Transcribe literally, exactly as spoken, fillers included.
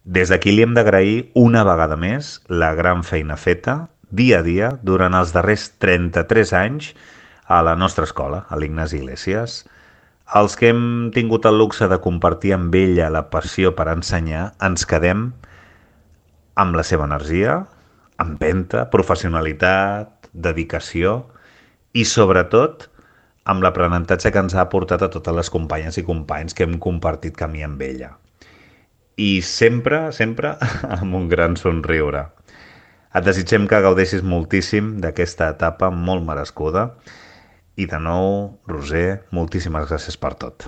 Des d'aquí li hem d'agrair una vegada més la gran feina feta, dia a dia, durant els darrers trenta-tres anys a la nostra escola, a l'Ignasi Iglesias. Els que hem tingut el luxe de compartir amb ella la passió per ensenyar, ens quedem amb la seva energia, empenta, professionalitat, dedicació i, sobretot, amb l'aprenentatge que ens ha aportat a totes les companyes i companys que hem compartit camí amb ella. I sempre, sempre, amb un gran somriure. Et desitgem que gaudeixis moltíssim d'aquesta etapa molt merescuda i de nou, Roser, moltíssimes gràcies per tot.